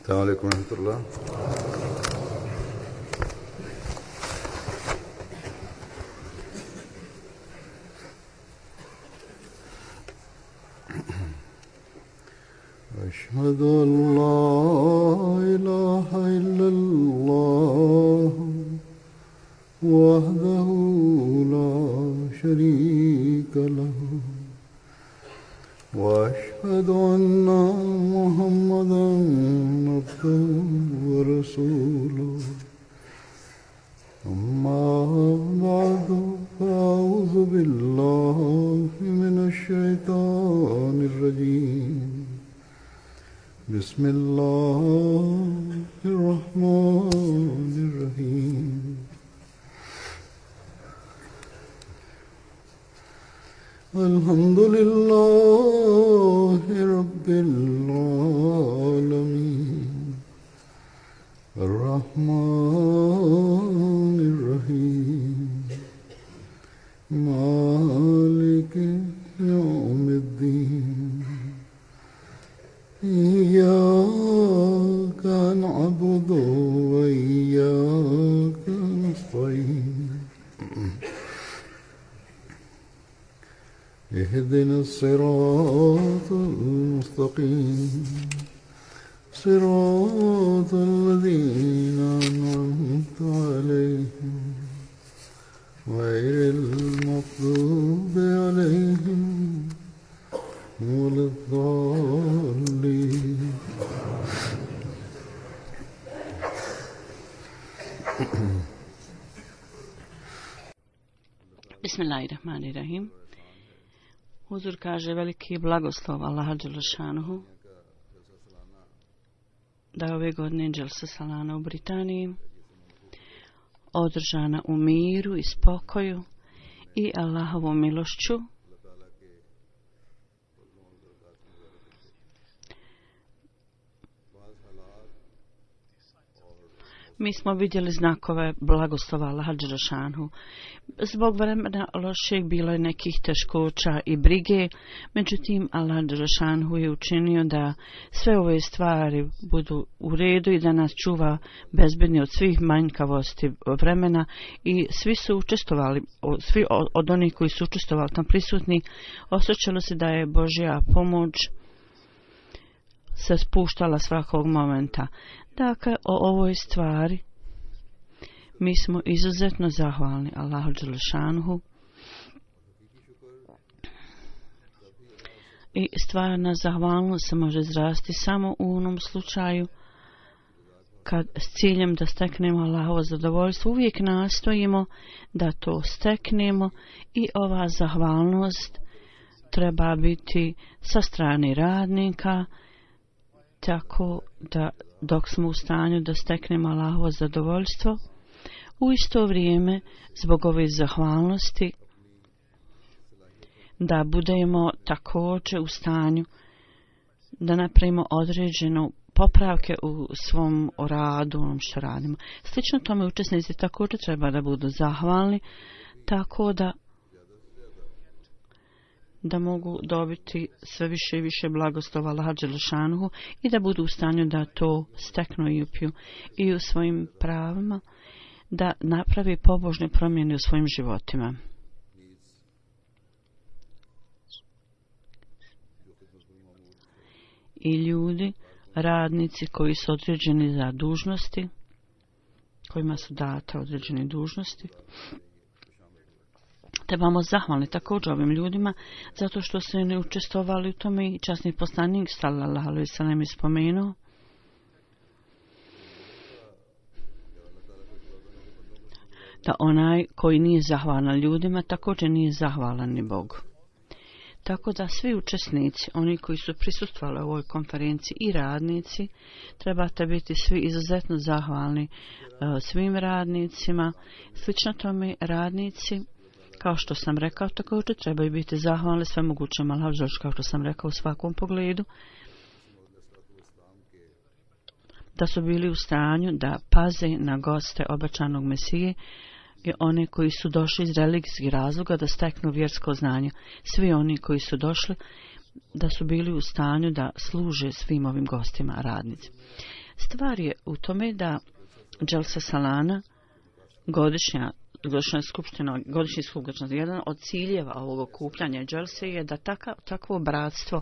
السلام عليكم ورحمة الله. أشهد أن لا إله إلا الله وحده لا شريك له وأشهد أن محمدا عبده ورسوله أما بعد فأعوذ بالله من الشيطان الرجيم بسم الله الرحمن الرحيم الحمد لله رب العالمين الرحمن الرحيم مالك يوم الدين إياك نعبد وإياك نستعين اهدنا الصراط المستقيم صراط الذين أنعمت عليهم غير المغضوب عليهم ولا الضالين. Bismillahirrahmanirrahim. Huzur kaže veliki blagoslov Allaha dželešanuhu da je ove godine Dželsa Salana u Britaniji održana u miru i spokoju i Allahovom milošću. Mi smo vidjeli znakove blagoslova Allaha dželešanuhu. Zbog vremena lošeg bilo je nekih teškoća i brige, međutim Allah dželešanuhu je učinio da sve ove stvari budu u redu i da nas čuva bezbedni od svih manjkavosti vremena i svi su učestvovali, svi od onih koji su učestvovali tam prisutni, osjećalo se da je Božja pomoć se spuštala svakog momenta. Dakle, o ovoj stvari mi smo izuzetno zahvalni Allahu dželešanuhu i stvarna zahvalnost se može izrasti samo u onom slučaju kad s ciljem da steknemo Allahovo zadovoljstvo uvijek nastojimo da to steknemo i ova zahvalnost treba biti sa strane radnika, tako da dok smo u stanju da steknemo Allahovo zadovoljstvo, u isto vrijeme zbog ove zahvalnosti da budemo također u stanju da napravimo određenu popravke u svom radu, onom što radimo. Slično tome učesnici također treba da budu zahvalni, tako da mogu dobiti sve više i više blagoslova Allaha dželešanuhu i da budu u stanju da to steknu i upiju i u svojim pravima, da napravi pobožne promjene u svojim životima. I ljudi, radnici koji su određeni za dužnosti, kojima su date određene dužnosti, trebamo zahvalni također ovim ljudima zato što su ne učestvovali u tome i časni poslanik sallallahu alejhi ve sellem je spomenuo da onaj koji nije zahvalan ljudima također nije zahvalan ni Bogu. Tako da svi učesnici, oni koji su prisustvovali u ovoj konferenciji i radnici, trebate biti svi izuzetno zahvalni svim radnicima. Slično tome radnici, kao što sam rekao, također trebaju biti zahvalni sve mogućem Allahu, kao što sam rekao u svakom pogledu, da su bili u stanju da paze na goste obećanog Mesije i one koji su došli iz religijskih razloga da steknu vjersko znanje. Svi oni koji su došli da su bili u stanju da služe svim ovim gostima radnici. Stvar je u tome da Dželsa Salana, godišnja skupština, jedan od ciljeva ovog okupljanja Dželse je da takvo bratstvo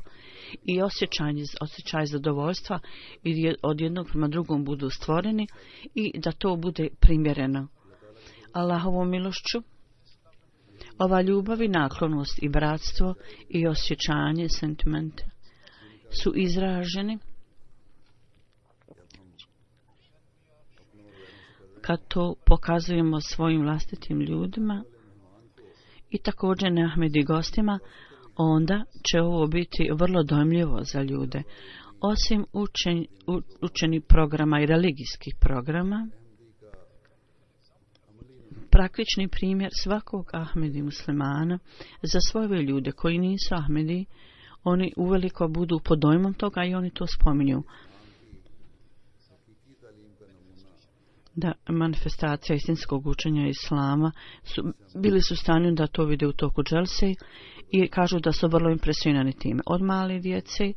i osjećaj zadovoljstva od jednog prema drugom budu stvoreni i da to bude primjereno. Allahovom milošću, ova ljubav i naklonost i bratstvo i osjećanje, sentimente su izraženi kad to pokazujemo svojim vlastitim ljudima i također neahmedi gostima, onda će ovo biti vrlo dojmljivo za ljude. Osim učeni programa i religijskih programa, praktični primjer svakog Ahmedi muslimana za svoje ljude koji nisu Ahmedi, oni uveliko budu pod dojmom toga i oni to spominju. Da manifestacija istinskog učenja Islama bili su u stanju da to vide u toku Dželse i kažu da su vrlo impresionirani time. Od male djece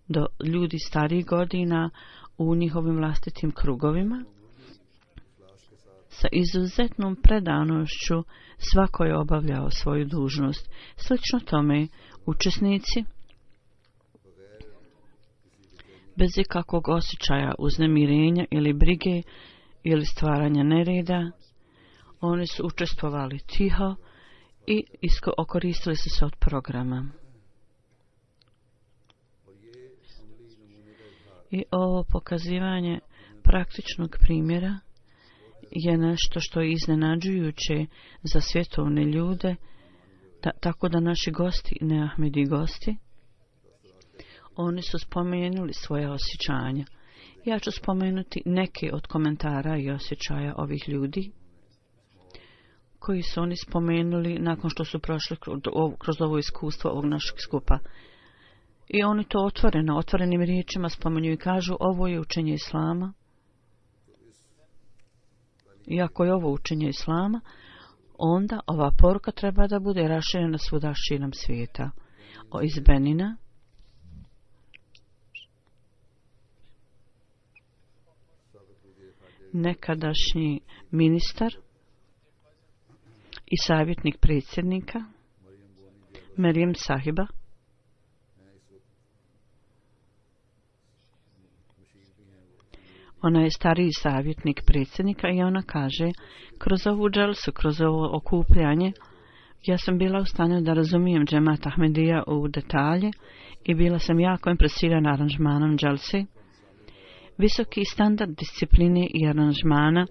do ljudi starijih godina u njihovim vlastitim krugovima. Sa izuzetnom predanošću svako je obavljao svoju dužnost. Slično tome, učesnici bez ikakvog osjećaja uznemirenja ili brige ili stvaranja nereda, oni su učestvovali tiho i okoristili su se od programa. I ovo pokazivanje praktičnog primjera je nešto što je iznenađujuće za svjetovne ljude, tako da naši gosti, neahmedi gosti, oni su spomenuli svoje osjećanja. Ja ću spomenuti neke od komentara i osjećaja ovih ljudi koji su oni spomenuli nakon što su prošli kroz ovo iskustvo ovog našeg skupa. I oni to otvorenim riječima spomenju i kažu ovo je učenje Islama. I ako je ovo učenje Islama, onda ova poruka treba da bude raširena svuda širom svijeta. Iz Benina, nekadašnji ministar i savjetnik predsjednika Merijem Sahiba, ona je stariji savjetnik predsjednika i ona kaže, kroz ovu dželsu, kroz ovo okupljanje, ja sam bila u stanju da razumijem džemat Ahmedija u detalje i bila sam jako impresirana aranžmanom dželse, visoki standard discipline i aranžmana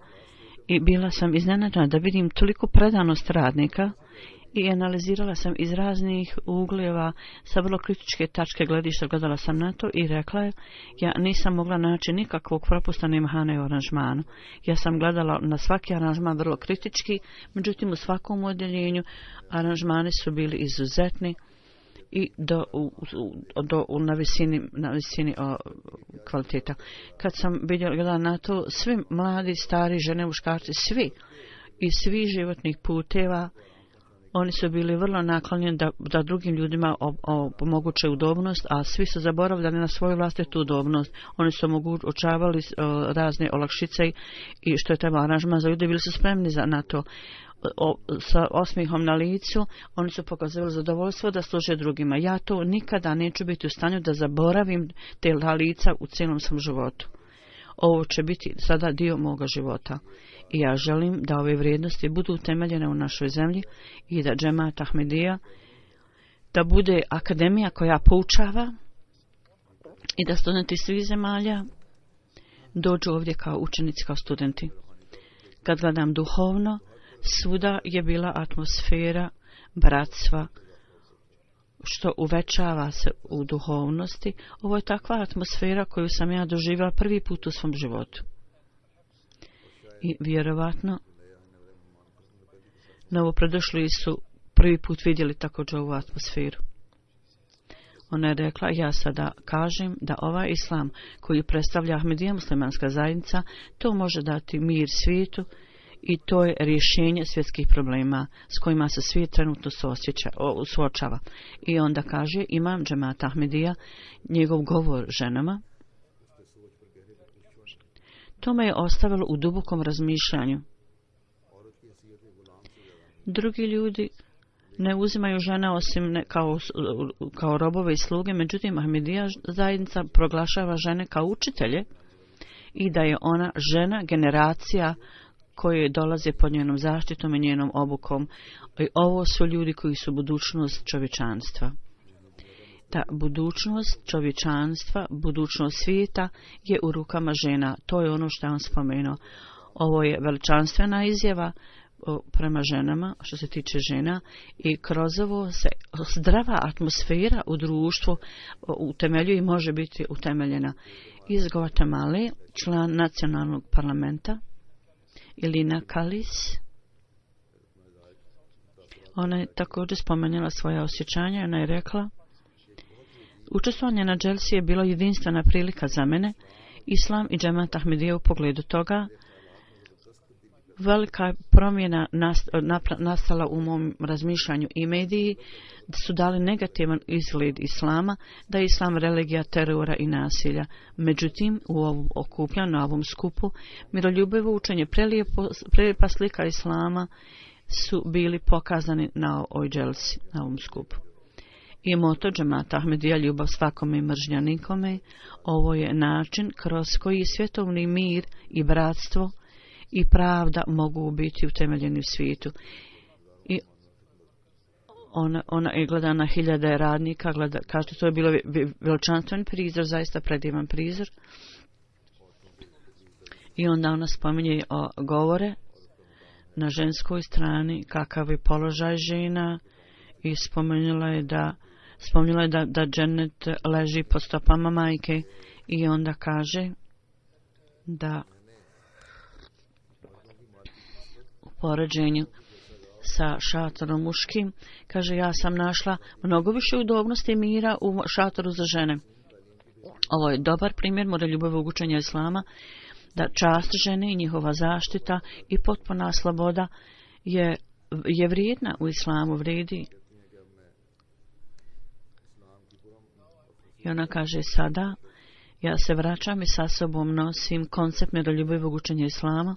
i bila sam iznenađena da vidim toliko predanost radnika i analizirala sam iz raznih uglova sa vrlo kritičke tačke gledišta, gledala sam na to i rekla je, ja nisam mogla naći nikakvog propusta ni mahane u aranžmanu. Ja sam gledala na svaki aranžman vrlo kritički, međutim u svakom odjeljenju aranžmani su bili izuzetni i na visini kvaliteta. Kad sam gledala na to, svi mladi, stari, žene, muškarci, svi iz svih životnih puteva, oni su bili vrlo naklonjeni da drugim ljudima omoguće udobnost, a svi su zaboravljali na svoju vlastitu udobnost. Oni su očavali razne olakšice i što je treba aranžman za ljude, bili su spremni na to. Sa osmihom na licu, oni su pokazali zadovoljstvo da služe drugima. Ja to nikada neću biti u stanju da zaboravim te lica u cijelom svom životu. Ovo će biti sada dio moga života. I ja želim da ove vrijednosti budu utemeljene u našoj zemlji i da džemat Ahmedija da bude akademija koja poučava i da studenti svih zemalja dođu ovdje kao učenici, kao studenti. Kad gledam duhovno, svuda je bila atmosfera bratstva, što uvećava se u duhovnosti. Ovo je takva atmosfera koju sam ja doživjela prvi put u svom životu. I vjerovatno novopredošli su prvi put vidjeli također ovu atmosferu. Ona je rekla, ja sada kažem da ovaj islam koji predstavlja Ahmedija muslimanska zajednica, to može dati mir svijetu i to je rješenje svjetskih problema s kojima se svijet trenutno suočava. I onda kaže imam džemat Ahmedija, njegov govor ženama, To me je ostavilo u dubokom razmišljanju. Drugi ljudi ne uzimaju žene osim kao robove i sluge, međutim Ahmedija zajednica proglašava žene kao učitelje i da je ona žena generacija koje dolaze pod njenom zaštitom i njenom obukom. I ovo su ljudi koji su budućnost čovječanstva. Ta budućnost čovječanstva, budućnost svijeta je u rukama žena. To je ono što je on spomenuo. Ovo je veličanstvena izjava prema ženama, što se tiče žena, i kroz ovo se zdrava atmosfera u društvu utemeljuje i može biti utemeljena. Iz Guatemala, član nacionalnog parlamenta, Ilina Kalis, ona je također spomenula svoje osjećanja i ona je rekla: učestvovanje na dželsi je bilo jedinstvena prilika za mene, Islam i džemat Ahmedija u pogledu toga. Velika je promjena nastala u mom razmišljanju i mediji su dali negativan izgled Islama, da je Islam religija terora i nasilja. Međutim, u ovom okupljanju, na ovom skupu, miroljubivo učenje, prelijepa slika Islama su bili pokazani na ovoj dželsi, na ovom skupu. I moto džemata Ahmedija, ljubav svakome i mržnja nikome. Ovo je način kroz koji svjetovni mir i bratstvo i pravda mogu biti utemeljeni u svijetu. I ona je gleda na hiljade radnika, kaže to je bilo veličanstven prizor, zaista predivan prizor. I onda ona spominje govore na ženskoj strani, kakav je položaj žena, i spomenula je da džennet leži pod stopama majke, i onda kaže da u poređenju sa šatorom muškim, kaže, ja sam našla mnogo više udobnosti i mira u šatoru za žene. Ovo je dobar primjer miroljubive učenja Islama, da čast žene i njihova zaštita i potpuna sloboda je vrijedna u Islamu, vrijedi. I ona kaže, sada ja se vraćam i sa sobom nosim koncept miroljubivog učenja Islama.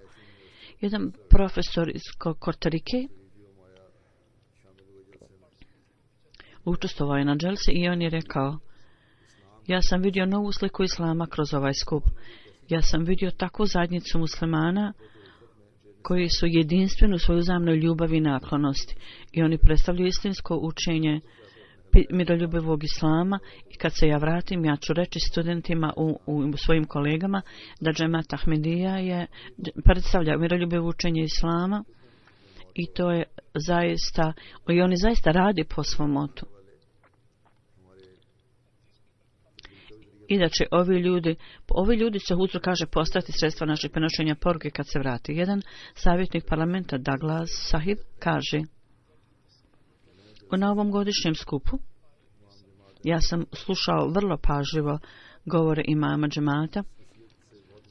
Jedan profesor iz Kortarike učestvovao je na dželsi i on je rekao: ja sam vidio novu sliku Islama kroz ovaj skup. Ja sam vidio takvu zajednicu muslimana koji su jedinstveni u svojoj uzajamnoj ljubavi i naklonosti. I oni predstavljaju istinsko učenje miroljubivog Islama. I kad se ja vratim, ja ću reći studentima u svojim kolegama da džemat Ahmedija predstavlja miroljubivo učenje Islama, i to je zaista, i oni zaista radi po svom motu. I da će ovi ljudi se huzur, kaže, postati sredstva naših prenošenja poruke kad se vrati. Jedan savjetnik parlamenta, Douglas Sahib, kaže: na ovom godišnjem skupu ja sam slušao vrlo pažljivo govore imama džemata.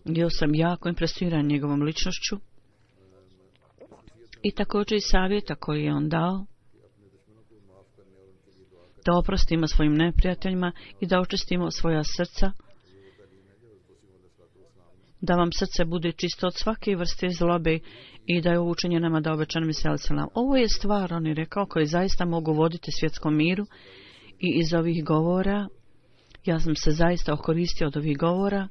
Bio sam jako impresioniran njegovom ličnošću i također i savjeta koji je on dao da oprostimo svojim neprijateljima i da očistimo svoja srca, da vam srce bude čisto od svake vrste zlobe i da je ovo učenje nama da obećanom selam. Ovo je stvar, on je rekao, koji zaista mogu voditi svjetskom miru, i iz ovih govora ja sam se zaista okoristio od ovih govora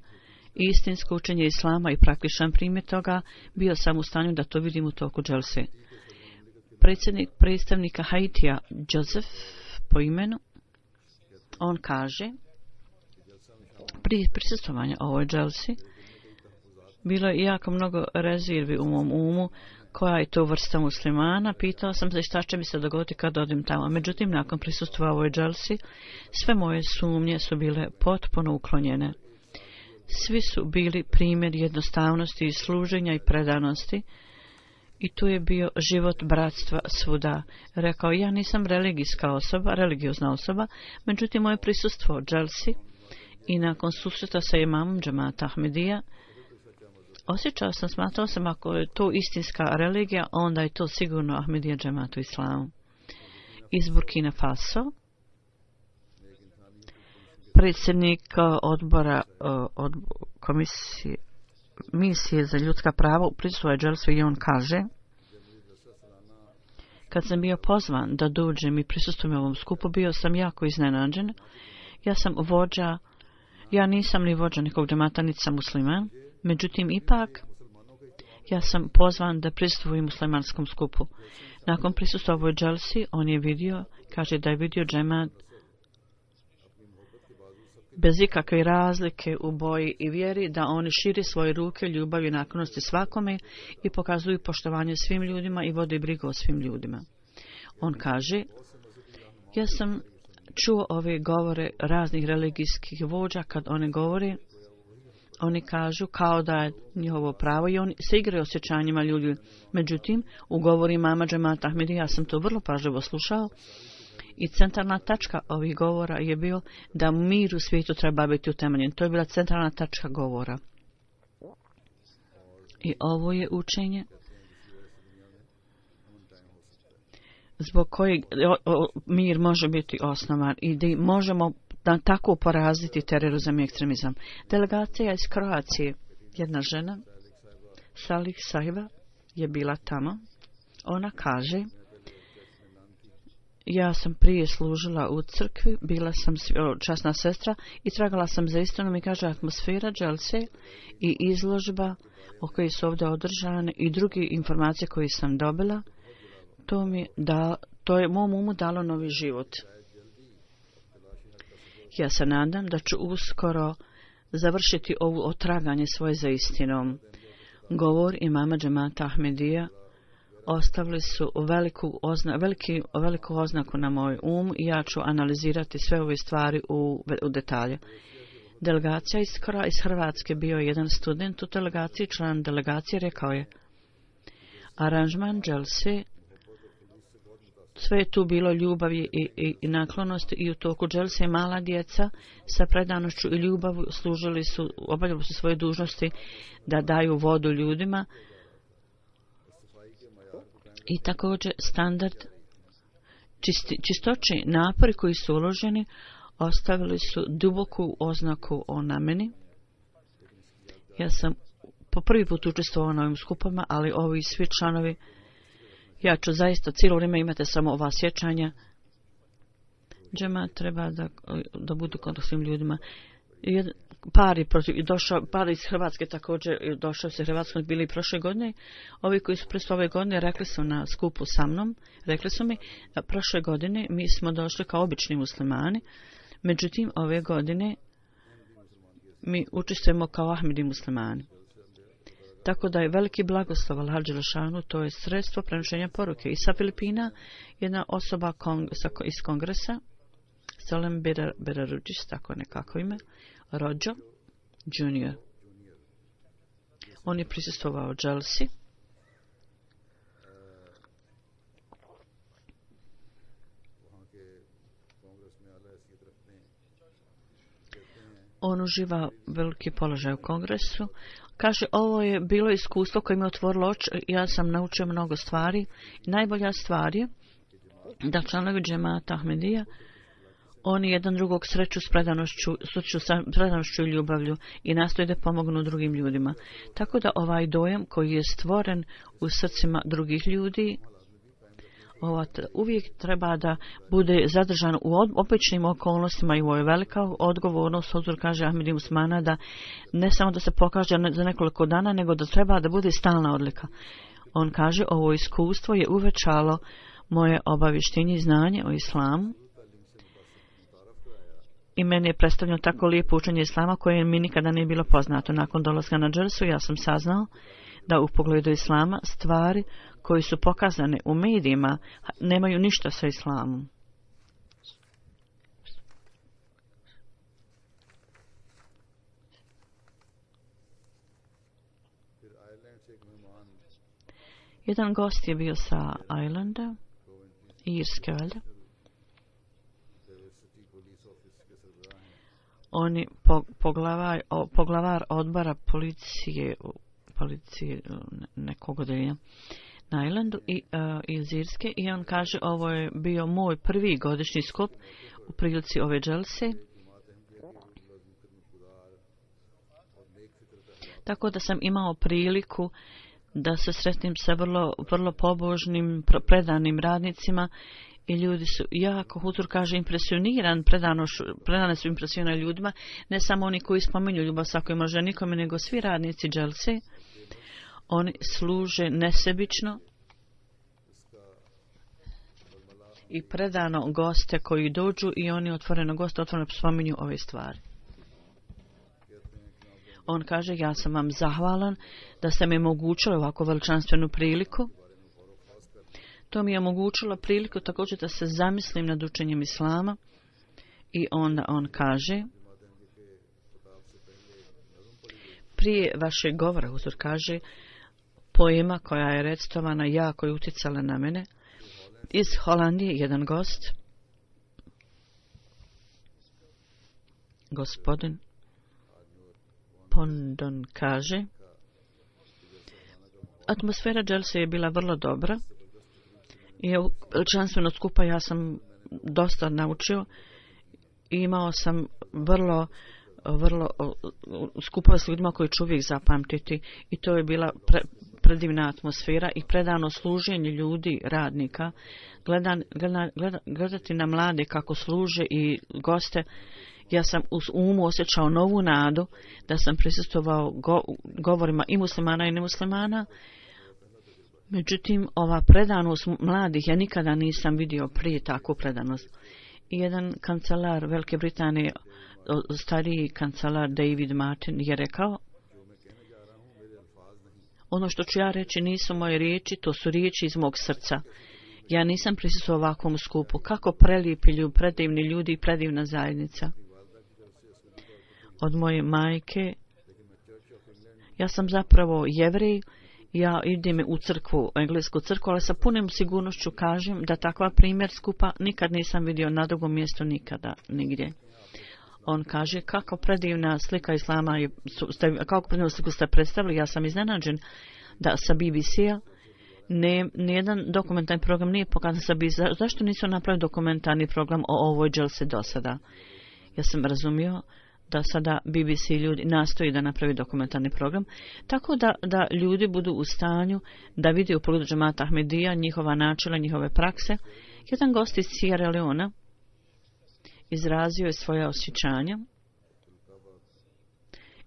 i istinsko učenje Islama i praktičan primjer toga, bio sam u stanju da to vidim u toku dželse. Predstavnika Haitija, Joseph po imenu, on kaže: prije prisustvovanja ovoj dželsi bilo je jako mnogo rezervi u mom umu, koja je to vrsta muslimana. Pitao sam se šta će mi se dogoditi kad odim tamo. Međutim, nakon prisustva ovoj dželsi, sve moje sumnje su bile potpuno uklonjene. Svi su bili primjer jednostavnosti i služenja i predanosti, i tu je bio život bratstva svuda. Rekao, ja nisam religiozna osoba, međutim moje prisustvo dželsi i nakon susreta sa imamom džemata Ahmedija, smatrao sam, ako je to istinska religija, onda je to sigurno Ahmedija džemat u Islamu. Iz Burkina Faso, predsjednik odbora komisije misije za ljudska prava prisustvuje dželsu i on kaže: kad sam bio pozvan da dođem i prisustvujem ovom skupu, bio sam jako iznenađen. Ja sam vođa, ja nisam ni vođa nekog džemata, niti sam musliman, međutim ipak ja sam pozvan da prisustvujem muslimanskom skupu. Nakon prisustva ovoj dželsi, on je vidio, kaže da je vidio džemat bez ikakve razlike u boji i vjeri, da oni šire svoje ruke, ljubav i naklonosti svakome i pokazuju poštovanje svim ljudima i vode brigu o svim ljudima. On kaže: ja sam čuo ove govore raznih religijskih vođa, kad one govore, oni kažu kao da je njihovo pravo i oni se igraju osjećanjima ljudi. Međutim, u govori mama džemata Ahmedija, ja sam to vrlo pažljivo slušao i centralna tačka ovih govora je bio da mir u svijetu treba biti utemeljen. To je bila centralna tačka govora. I ovo je učenje zbog kojeg mir može biti osnovan i da možemo da tako poraziti terorizam i ekstremizam. Delegacija iz Kroacije, jedna žena, Salih Sahiba, je bila tamo. Ona kaže: ja sam prije služila u crkvi, bila sam časna sestra i tragala sam za istinom i kaže atmosfera dželse i izložba o kojoj su ovdje održane i druge informacije koje sam dobila, to je mom umu dalo novi život. Ja se nadam da ću uskoro završiti ovo otraganje svoje za istinom. Govor imama džemata Ahmedija ostavili su veliku oznaku na moj um i ja ću analizirati sve ove stvari u detalje. Delegacija iz Hrvatske, bio je jedan student u delegaciji, član delegacije, rekao je: aranžman dželse, sve je tu bilo ljubavi i naklonosti i u toku dželse mala djeca sa predanošću i ljubavu obavljali su svoje dužnosti da daju vodu ljudima i također standard čistoće, napori koji su uloženi ostavili su duboku oznaku na meni. Ja sam po prvi put učestvovao na ovim skupama, ali ovi svi članovi, ja ću zaista cijelo vrijeme imate samo ova sjećanja. Džema treba da budu kod svim ljudima. Par iz Hrvatske također došao se Hrvatskom, bili prošle godine. Ovi koji su prošle ove godine rekli su na skupu sa mnom, rekli su mi da prošle godine mi smo došli kao obični muslimani, međutim ove godine mi učestvujemo kao Ahmedi muslimani. Tako da je veliki blagoslov Allaha dželešanu, to je sredstvo prenošenja poruke. I sa Filipina jedna osoba iz kongresa, Salem Berarudžis, tako nekako ime, Rođo Junior. On je prisustvovao dželsi. On uživa veliki položaj u kongresu. Kaže, ovo je bilo iskustvo koje mi je otvorilo oči, ja sam naučio mnogo stvari. Najbolja stvar je da članovi džemata Ahmedija, oni jedan drugog sreću s predanošću i ljubavlju i nastoje da pomognu drugim ljudima. Tako da ovaj dojam koji je stvoren u srcima drugih ljudi, uvijek treba da bude zadržan u običnim okolnostima i ovo je velika odgovornost. Huzur kaže Ahmedi Musmana da ne samo da se pokaže za nekoliko dana, nego da treba da bude stalna odlika. On kaže, ovo iskustvo je uvećalo moje obavještenje i znanje o islamu i meni je predstavljeno tako lijepo učenje islama koje mi nikada nije bilo poznato. Nakon dolaska na dželsu ja sam saznao da u pogledu islama stvari koji su pokazane u medijima nemaju ništa sa islamom. Jedan gost je bio sa Islanda, Irske valjda. On je poglavar odbora policije nekog odeljenja na Islandu iz Irske i on kaže, ovo je bio moj prvi godišnji skup u prilici ove dželse Tako da sam imao priliku da se sretnim sa vrlo pobožnim, predanim radnicima i ljudi su jako, Hutur kaže, predane su impresionirane ljudima, ne samo oni koji spominju ljubav svakoj može nikome, nego svi radnici dželse. Oni služe nesebično i predano goste koji dođu i oni otvoreno spominju ove stvari. On kaže, ja sam vam zahvalan da ste mi omogućili ovako veličanstvenu priliku. To mi je omogućilo priliku također da se zamislim nad učenjem islama. I onda on kaže, prije vašeg govora, Huzur kaže, poema koja je recitovana jako je utjecala na mene. Iz Holandije jedan gost, gospodin Pondon, kaže, atmosfera dželse je bila vrlo dobra i veličanstveno skupa ja sam dosta naučio i imao sam vrlo skupova s ljudima koji ću uvijek zapamtiti i to je bila predivna atmosfera i predano služenje ljudi, radnika, gledati na mlade kako služe i goste. Ja sam u umu osjećao novu nadu da sam prisustvovao govorima i muslimana i nemuslimana. Međutim, ova predanost mladih ja nikada nisam vidio prije takvu predanost. I jedan kancelar Velike Britanije, stariji kancelar David Martin, je rekao, ono što ću ja reći nisu moje riječi, to su riječi iz mog srca. Ja nisam prisustvovao ovakvom skupu. Kako prelijepi ljudi, predivni ljudi i predivna zajednica. Od moje majke, ja sam zapravo Jevrej, ja idem u crkvu, englesku crkvu, ali sa punim sigurnošću kažem da takva primjer skupa nikad nisam vidio na drugom mjestu, nikada, nigdje. On kaže, kako predivna slika islama, kako predivnu sliku ste predstavili, ja sam iznenađen da sa BBC-a nijedan dokumentarni program nije pokazan sa BBC-a. Zašto nisu napravili dokumentarni program o ovoj dželsi do sada? Ja sam razumio da sada BBC ljudi nastoji da napravi dokumentarni program, tako da ljudi budu u stanju da vide u pogledu džemata Ahmedija njihova načela, njihove prakse. Jedan gost iz Sierra Leona izrazio je svoje osjećanja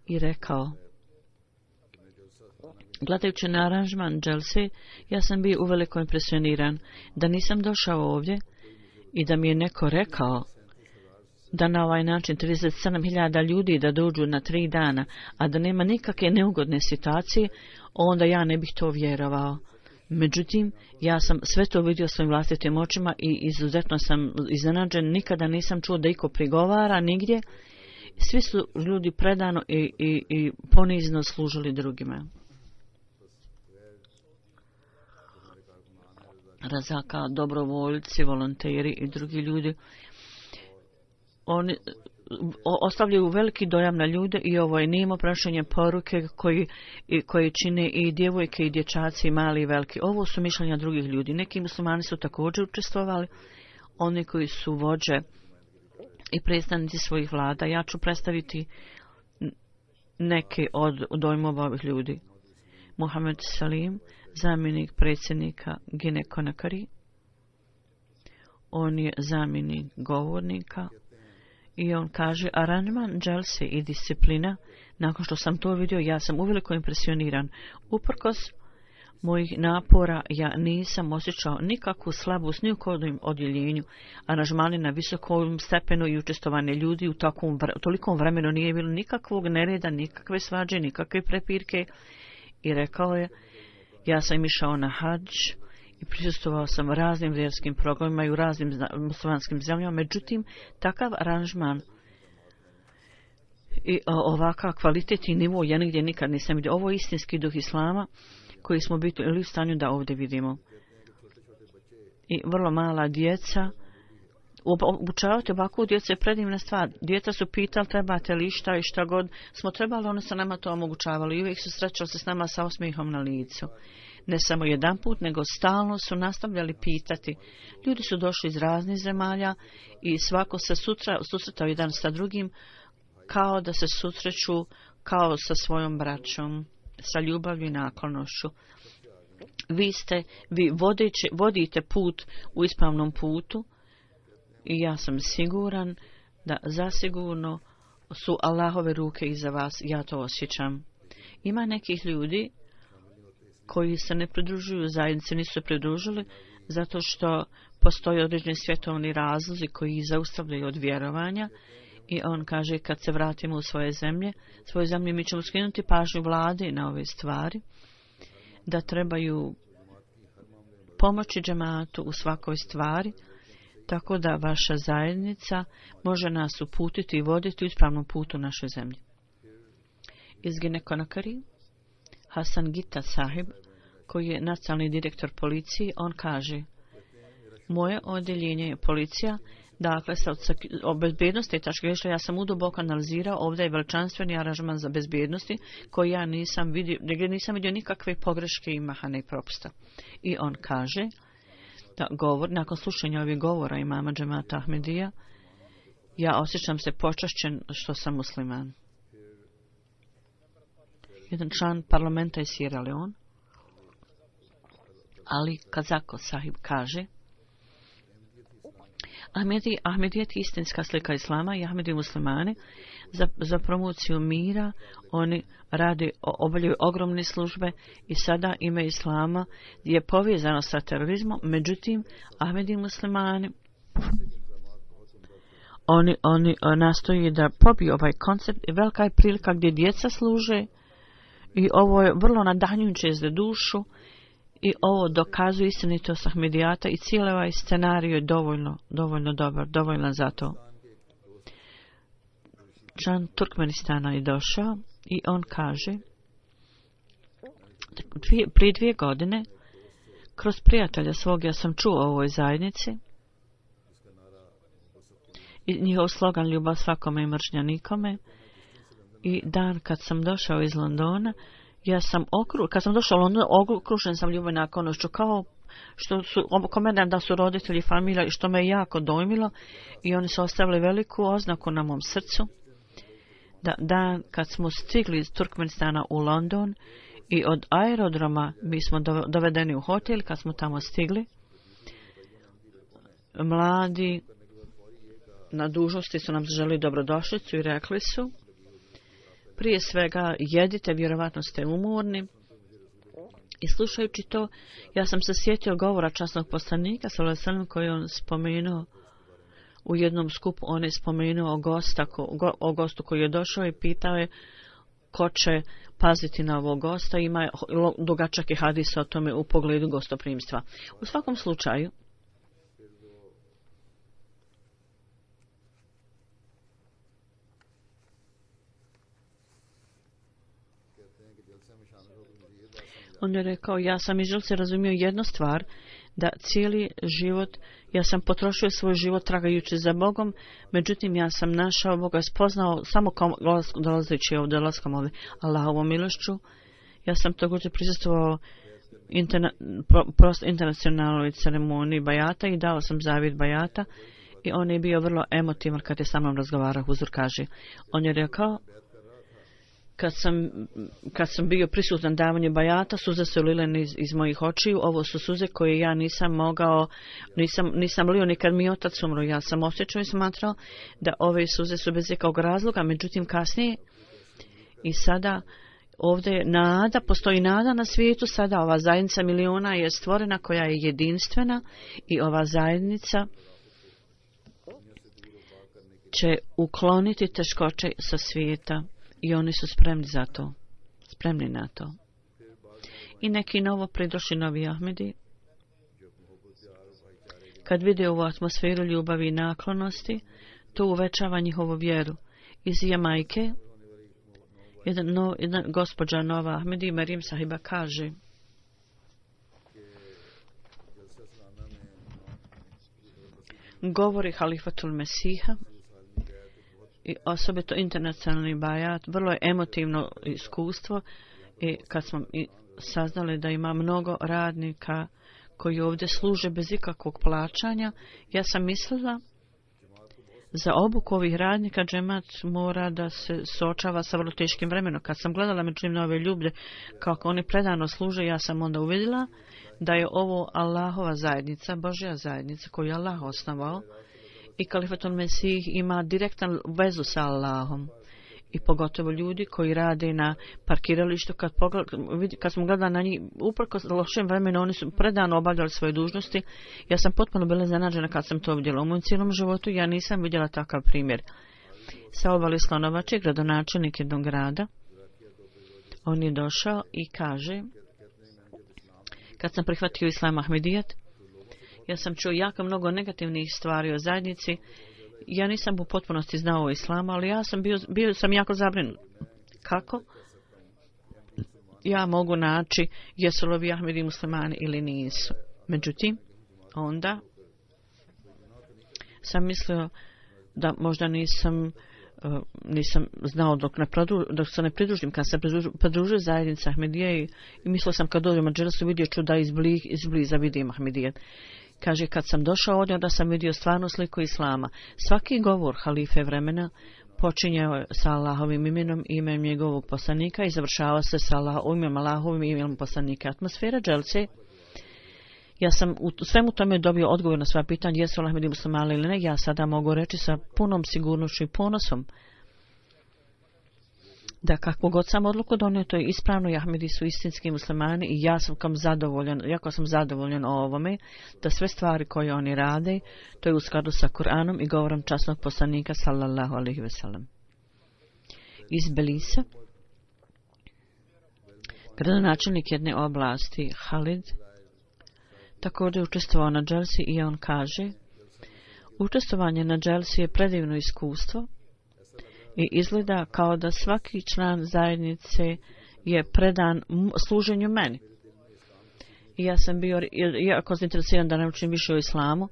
i rekao, gledajući na aranžman dželse, ja sam bio uveliko impresioniran da nisam došao ovdje i da mi je neko rekao da na ovaj način 37.000 ljudi da dođu na 3 dana, a da nema nikakve neugodne situacije, onda ja ne bih to vjerovao. Međutim, ja sam sve to vidio svojim vlastitim očima i izuzetno sam iznenađen, nikada nisam čuo da iko prigovara nigdje. Svi su ljudi predano i ponizno služili drugima. Razaka, dobrovoljci, volonteri i drugi ljudi, oni ostavljaju veliki dojam na ljude i ovo je nimo prašenje poruke koji čine i djevojke i dječaci, mali i veliki. Ovo su mišljenja drugih ljudi. Neki muslimani su također učestvovali, oni koji su vođe i predstavnici svojih vlada. Ja ću predstaviti neke od dojmova ovih ljudi. Mohamed Salim, zamjenik predsjednika Gine Konakari. On je zamjenik govornika. I on kaže, aranžman dželse i disciplina, nakon što sam to vidio, ja sam uveliko impresioniran. Uprkos mojih napora, ja nisam osjećao nikakvu slabost ni u kodnom odjeljenju. Aranžmani na visokom stepenu i učestovanje ljudi u tolikom vremenu nije bilo nikakvog nereda, nikakve svađe, nikakve prepirke. I rekao je, ja sam išao na hadž i prisustvovao sam raznim vjerskim programima i u raznim muslimanskim zemljama. Međutim, takav aranžman i ovakav kvalitet i nivo ja nigdje nikad nisam vidio. Ovo je istinski duh islama koji smo bili u stanju da ovdje vidimo. I vrlo mala djeca. Obučavati ovakvu djecu je predivna stvar. Djeca su pitali trebate li šta i šta god smo trebali, oni su nama to omogućavali i uvijek su srećali se s nama sa osmijehom na licu. Ne samo jedan put, nego stalno su nastavljali pitati. Ljudi su došli iz raznih zemalja i svako se susretao jedan sa drugim kao da se susreću kao sa svojom braćom, sa ljubavlju i naklonošću. Vi vodite put u ispravnom putu i ja sam siguran da zasigurno su Allahove ruke iza vas, ja to osjećam. Ima nekih ljudi koji se ne pridružuju zajednici, nisu se pridružili zato što postoje određeni svjetovni razlozi koji ih zaustavljaju od vjerovanja i on kaže kad se vratimo u svoju zemlju mi ćemo skinuti pažnju vlade na ove stvari, da trebaju pomoći džematu u svakoj stvari, tako da vaša zajednica može nas uputiti i voditi u ispravnom putu našoj zemlji. Iz Ginekonakari, Hasan Gita Sahib, koji je nacionalni direktor policije, on kaže: moje odjeljenje je policija, dakle sa bezbednosti i tačke gledišta ja sam uduboko analizirao, ovdje je veličanstveni aranžman za bezbednosti koji ja nisam vidio nikakve pogreške i mahane propusta. I on kaže da nakon slušanja ovih govora imama džemata Ahmedija, ja osjećam se počašćen što sam musliman. Jedan član parlamenta iz Sierra Leone, Ali Kazako Sahib, kaže: Ahmedijet je istinska slika islama i Ahmedi muslimani za promociju mira, oni obavljaju ogromne službe i sada ime islama je povezano sa terorizmom, međutim Ahmedi muslimani oni nastoji da pobiju ovaj koncept i velika je prilika gdje djeca služe i ovo je vrlo nadahnjujuće za dušu i ovo dokazuje istinitost Ahmedijata i cijeli ovaj scenarij je dovoljno dobar, dovoljno za to. Član Turkmenistana je došao i on kaže: prije 2 godine kroz prijatelja svog ja sam čuo o ovoj zajednici i njihov slogan ljubav svakome i mržnja nikome. I dan kad sam došao iz Londona, kad sam došao u London, okružen sam ljubav i naklonošću, kao što su komendan da su roditelji familija i što me je jako dojmilo i oni su ostavili veliku oznaku na mom srcu. Da dan kad smo stigli iz Turkmenistana u London i od aerodroma mi smo dovedeni u hotel, kad smo tamo stigli, mladi na dužnosti su nam zaželi dobrodošlicu i rekli su: prije svega jedite, vjerovatno ste umorni. I slušajući to, ja sam se sjetio govora časnog poslanika koji on spomenuo u jednom skupu. On je spomenuo o gostu koji je došao i pitao je ko će paziti na ovog gosta. Ima dugačak je hadis o tome u pogledu gostoprimstva. U svakom slučaju, on je rekao: ja sam iz želce razumio jednu stvar, da cijeli život, ja sam potrošio svoj život tragajući za Bogom, međutim ja sam našao Boga, spoznao samo dolazeći ovdje, dolaskom ovdje, Allahovom milošću. Ja sam također prisustvovao internacionalnoj ceremoniji bajata i dao sam zavjet bajata i on je bio emotivan kad je sa mnom razgovarao. Huzur kaže, on je rekao: kad sam bio prisutan davanju bajata, suze su lile iz mojih očiju. Ovo su suze koje ja nisam mogao, nisam lio nikad mi otac umro. Ja sam osjećao i smatrao da ove suze su bez ikakvog razloga, međutim kasnije i sada ovdje je nada, postoji nada na svijetu. Sada ova zajednica miliona je stvorena koja je jedinstvena i ova zajednica će ukloniti teškoće sa svijeta. I oni su spremni na to. I neki novo pridošli novi Ahmedi, kad vide ovu atmosferu ljubavi i naklonosti, to uvećava njihovu vjeru. Iz Jamajke, jedna gospođa nova Ahmedi, Marim Sahiba, kaže: govori halifatul Mesiha i osobito internacionalni bajat, vrlo je emotivno iskustvo i kad smo saznali da ima mnogo radnika koji ovdje služe bez ikakvog plaćanja, ja sam mislila Za obuku ovih radnika džemat mora da se suočava sa vrlo teškim vremenom. Kad sam gledala međutim na ove ljude kako oni predano služe, ja sam onda uvidjela da je ovo Allahova zajednica, Božja zajednica koju je Allah osnovao i Kalifatul Mesih ima direktan vezu sa Allahom. I pogotovo ljudi koji rade na parkiralištu, kad smo gledali na njih, uprkos lošem vremenu, oni su predano obavljali svoje dužnosti. Ja sam potpuno bila iznenađena kad sam to vidjela. U mojom cijelom životu ja nisam vidjela takav primjer. Sa obali Slonovače, gradonačelnik jednog grada, on je došao i kaže, kad sam prihvatio Islam Ahmedijat, ja sam čuo jako mnogo negativnih stvari o zajednici. Ja nisam u potpunosti znao o islamu, ali ja sam bio sam jako zabrinut. Kako ja mogu naći jesu li ovi Ahmedi muslimani ili nisu? Međutim, onda sam mislio da možda nisam znao dok se ne pridružim. Kad se pridružio zajednica Ahmedije i mislio sam kad dođem u Dželsu vidio ću da izbliza vidim Ahmedije. Kaže, kad sam došao ovdje, onda sam vidio stvarnu sliku islama. Svaki govor halife vremena počinjao sa Allahovim imenom i imenom njegovog poslanika i završavao se sa imenom Allahovim imenom poslanika. Atmosfera Dželce, ja sam u svemu tome dobio odgovor na sva pitanja, jesu Ahmedi muslimani ili ne. Ja sada mogu reći sa punom sigurnošću i ponosom da kakvu god sam odluku donio, to je ispravno i Ahmedi su istinski muslimani i jako sam zadovoljan o ovome, da sve stvari koje oni rade, to je u skladu sa Kur'anom i govorom časnog poslanika sallallahu alejhi ve sellem. Iz Belisa, gradonačelnik jedne oblasti Halid također učestvovao na Dželsi i on kaže, učestvovanje na Dželsi je predivno iskustvo i izgleda kao da svaki član zajednice je predan služenju meni. I ja sam bio jako zainteresiran da naučim više o islamu.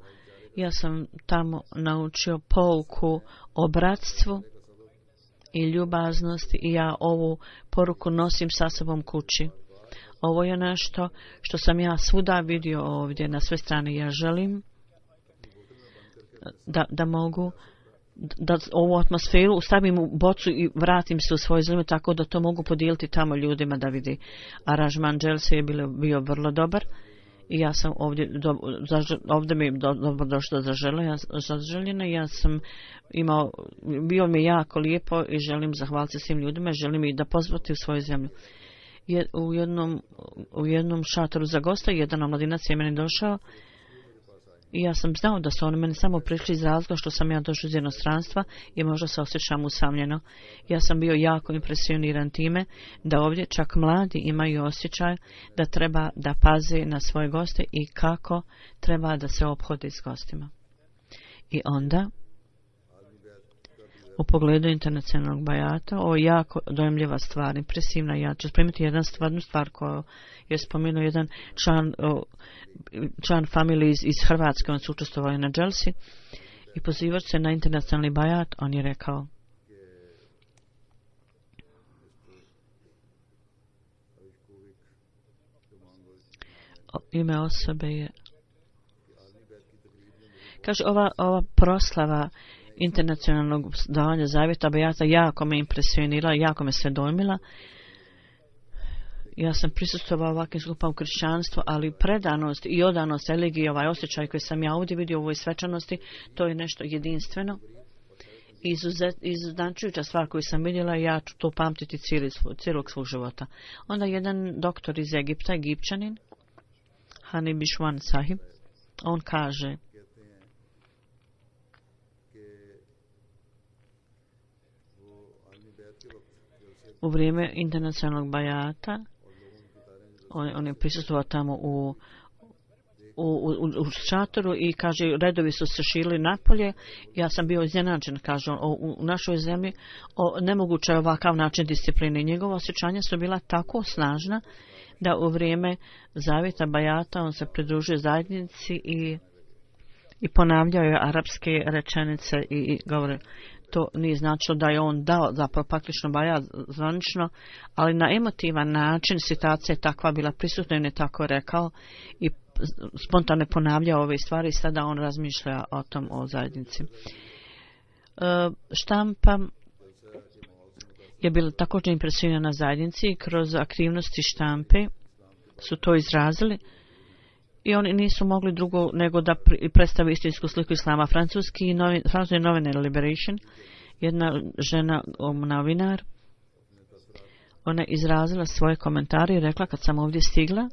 Ja sam tamo naučio pouku o bratstvu i ljubaznosti i ja ovu poruku nosim sa sobom kući. Ovo je nešto što sam ja svuda vidio ovdje na sve strane. Ja želim da mogu da ovu atmosferu stavim u bocu i vratim se u svoje zemlje tako da to mogu podijeliti tamo ljudima da vidi. Aranžman Dželse je bio vrlo dobar i ja sam ovdje mi je dobro došlo zaželjena. Ja sam bio mi jako lijepo i želim zahvaliti svim ljudima, želim ih da pozvati u svoju zemlju. U jednom šatoru za gosta jedan omladinac je meni došao i ja sam znao da su oni meni samo prišli iz razloga što sam ja došao iz inostranstva i možda se osjećam usamljeno. Ja sam bio jako impresioniran time da ovdje čak mladi imaju osjećaj da treba da paze na svoje goste i kako treba da se ophode s gostima. I onda u pogledu internacionalnog bajata, ovo je jako dojemljiva stvar, impresivna. Ja ću spomenuti jednu stvar koju je spomenuo jedan član familije iz Hrvatske, on su učestvovali na Dželsi i pozivajući se na internacionalni bajat, on je rekao: ime osobe je, kaže, ova proslava internacionalnog davanja zavjeta bajata jako me impresionirala, jako me sve dojmila. Ja sam prisustvovao ovakvim skupama u kršćanstvu, ali predanost i odanost religiji, ovaj osjećaj koji sam ja ovdje vidio u ovoj svečanosti, to je nešto jedinstveno. Izuznačujuća stvar koju sam vidjela, ja ću to pamtiti cijelog svog života. Onda jedan doktor iz Egipta, Egipćanin, Hani Bishwan Sahib, on kaže: u vrijeme internacionalnog bajata on je prisustvovao tamo u šatoru i kaže, redovi su se širili napolje. Ja sam bio iznenađen, kaže on, u našoj zemlji nemoguće je ovakav način discipline. Njegova osjećanja su bila tako snažna da u vrijeme zavjeta bajata on se pridružio zajednici i ponavljao je arapske rečenice i govore. To nije značilo da je on dao zapravo praktično bajat zvanično, ali na emotivan način situacija je takva bila prisutna i on je tako rekao i spontano ponavljao ove stvari i sada on razmišlja o tom, o zajednici. Štampa je bila također impresionirana zajednici i kroz aktivnosti štampe su to izrazili i oni nisu mogli drugo nego da predstave istinsku sliku islama. Francuski novine Liberation, jedna žena novinar, ona izrazila svoje komentare i rekla kad sam ovdje stigla,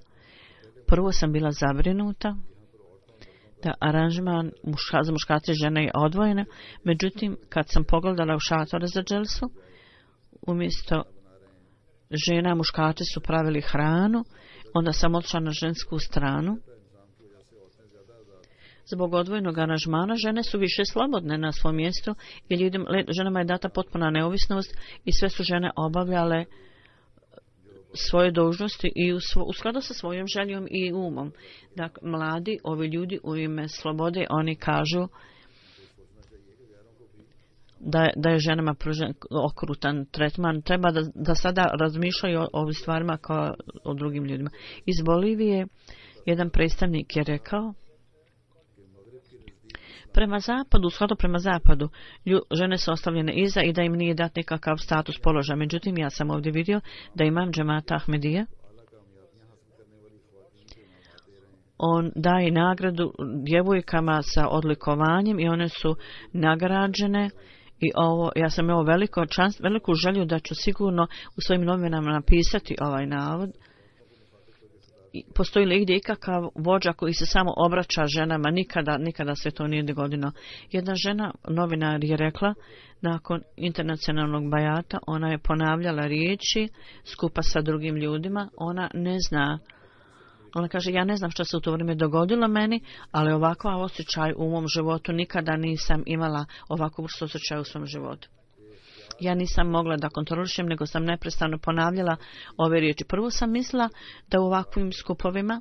prvo sam bila zabrinuta da aranžman za muškarce i žene je odvojena, međutim kad sam pogledala u šatore za dželsu, umjesto žena muškarci su pravili hranu, onda sam otišla na žensku stranu. Zbog odvojenog aranžmana žene su više slobodne na svom mjestu i ženama je data potpuna neovisnost i sve su žene obavljale svoje dužnosti i u skladu sa svojom željom i umom. Dakle, mladi, ovi ljudi u ime slobode, oni kažu da je ženama pružen okrutan tretman. Treba da sada razmišljaju o ovim stvarima kao o drugim ljudima. Iz Bolivije jedan predstavnik je rekao prema zapadu, u skladu prema zapadu, žene su ostavljene iza i da im nije dat nikakav status položaja. Međutim, ja sam ovdje vidio da imam džemata Ahmedija. On daje nagradu djevojkama sa odlikovanjem i one su nagrađene. I ja sam imao veliku želju da ću sigurno u svojim novinama napisati ovaj navod. Postoji li gdje ikakav vođa koji se samo obraća ženama? Nikada se to nije dogodilo. Jedna žena, novinar, je rekla nakon internacionalnog bajata, ona je ponavljala riječi skupa sa drugim ljudima, ona ne zna. Ona kaže, ja ne znam što se u to vrijeme dogodilo meni, ali ovakav osjećaj u mom životu nikada nisam imala ovakvu vrstu osjećaja u svom životu. Ja nisam mogla da kontrolišem, nego sam neprestano ponavljala ove riječi. Prvo sam mislila da u ovakvim skupovima,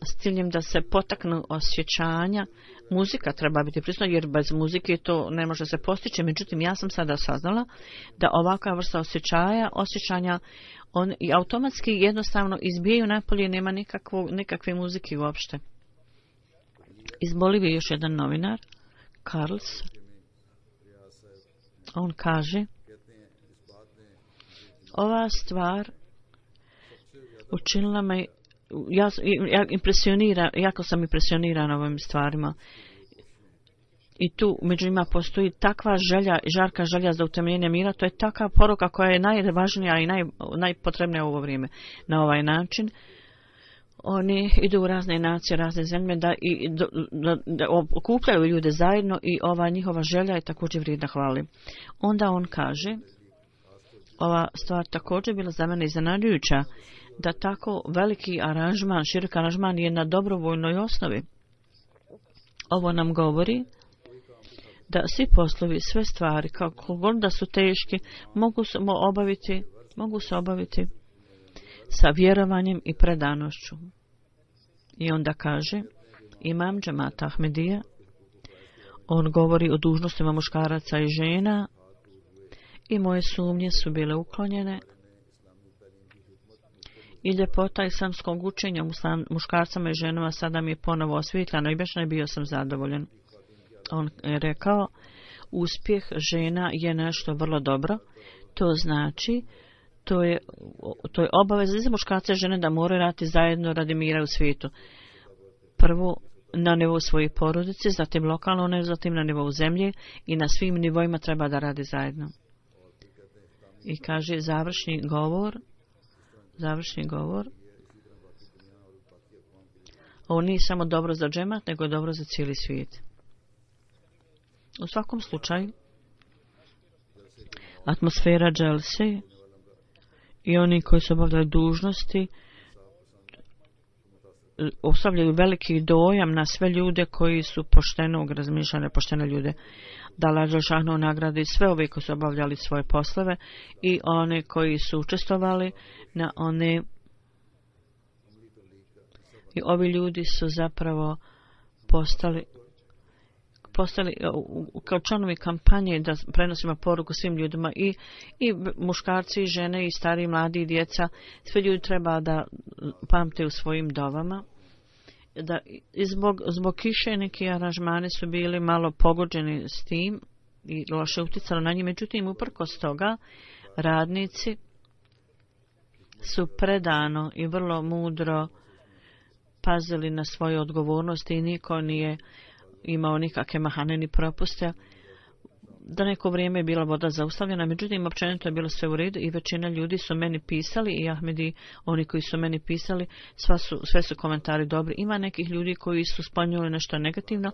s ciljem da se potaknu osjećanja, muzika treba biti prisutna, jer bez muzike to ne može se postići. Međutim, ja sam sada saznala da ovakva vrsta osjećanja, on i automatski jednostavno izbijaju napolje, nema nikakve muzike uopšte. Iz Bolivije još jedan novinar, Carlos, on kaže, ova stvar učinila me, jako sam impresionirana ovim stvarima. I tu među njima postoji takva želja, žarka želja za utemeljenje mira, to je takva poruka koja je najvažnija i najpotrebnija u ovo vrijeme. Na ovaj način oni idu u razne nacije, razne zemlje da okupljaju ljude zajedno i ova njihova želja je također vrijedna hvali. Onda on kaže, ova stvar također bila za mene iznenađujuća, da tako veliki aranžman, širok aranžman je na dobrovoljnoj osnovi. Ovo nam govori da svi poslovi, sve stvari, kako god da su teški, mogu se obaviti sa vjerovanjem i predanošću. I onda kaže, imam džemata Ahmedija, on govori o dužnostima muškaraca i žena i moje sumnje su bile uklonjene i ljepota islamskog učenja muškarcama i ženama sada mi je ponovo osvjetljeno i baš ne bio sam zadovoljan. On je rekao, uspjeh žena je nešto vrlo dobro, to znači to je obaveza za muškarce i žene da moraju raditi zajedno radi mira u svijetu. Prvo na nivou svoje porodice, zatim lokalno, zatim na nivou zemlje i na svim nivoima treba da radi zajedno. I kaže završni govor, ovo nije samo dobro za džemat, nego je dobro za cijeli svijet. U svakom slučaju, atmosfera dželse i oni koji se obavljaju dužnosti ostavljaju veliki dojam na sve ljude koji su poštenog razmišljanja, poštene ljude. Da Allah dželešanu nagradi sve ove koji su obavljali svoje poslove i one koji su učestvovali na one. I ovi ljudi su zapravo postali kao članovi kampanje da prenosimo poruku svim ljudima i muškarci i žene i stari, mladi i djeca. Sve ljudi treba da pamte u svojim dovama da zbog kiše neki aranžmani su bili malo pogođeni s tim i loše uticalo na njih. Međutim, uprkos toga, radnici su predano i vrlo mudro pazili na svoje odgovornosti i niko nije imao nikakve mahane ni propuste. Da neko vrijeme je bila voda zaustavljena, međutim, općenito je bilo sve u redu i većina ljudi su meni pisali i Ahmedi, oni koji su meni pisali, sve su komentari dobri. Ima nekih ljudi koji su spomenuli nešto negativno,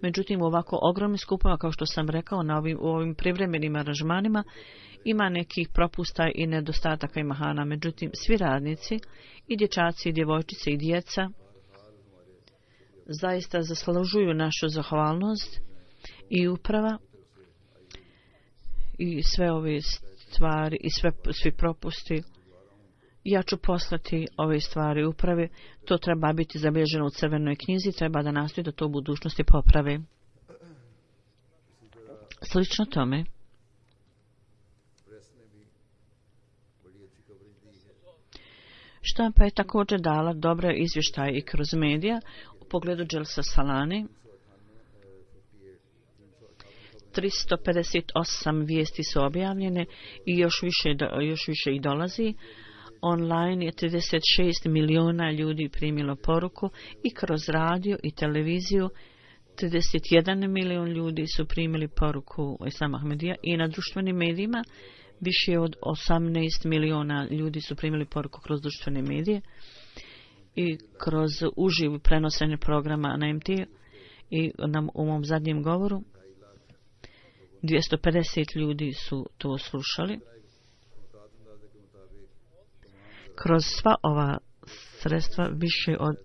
međutim, u ovako ogromnim skupama, kao što sam rekao, u ovim privremenim aranžmanima, ima nekih propusta i nedostataka i mahana. Međutim, svi radnici, i dječaci, i djevojčice, i djeca, zaista zaslužuju našu zahvalnost i uprava i sve ove stvari i svi propusti. Ja ću poslati ove stvari upravi. To treba biti zabilježeno u crvenoj knjizi. Treba da nastoji da to u budućnosti poprave. Slično tome, štampa je također dala dobre izvještaje i kroz medija u pogledu Dželsa Salani. 358 vijesti su objavljene i još više ih dolazi. Online je 36 miliona ljudi primilo poruku i kroz radio i televiziju 31 milion ljudi su primili poruku Islama Ahmedija i na društvenim medijima više od 18 miliona ljudi su primili poruku kroz društvene medije i kroz uživo prenosanje programa na MT i u mom zadnjem govoru 250 ljudi su to slušali. Kroz sva ova sredstva više od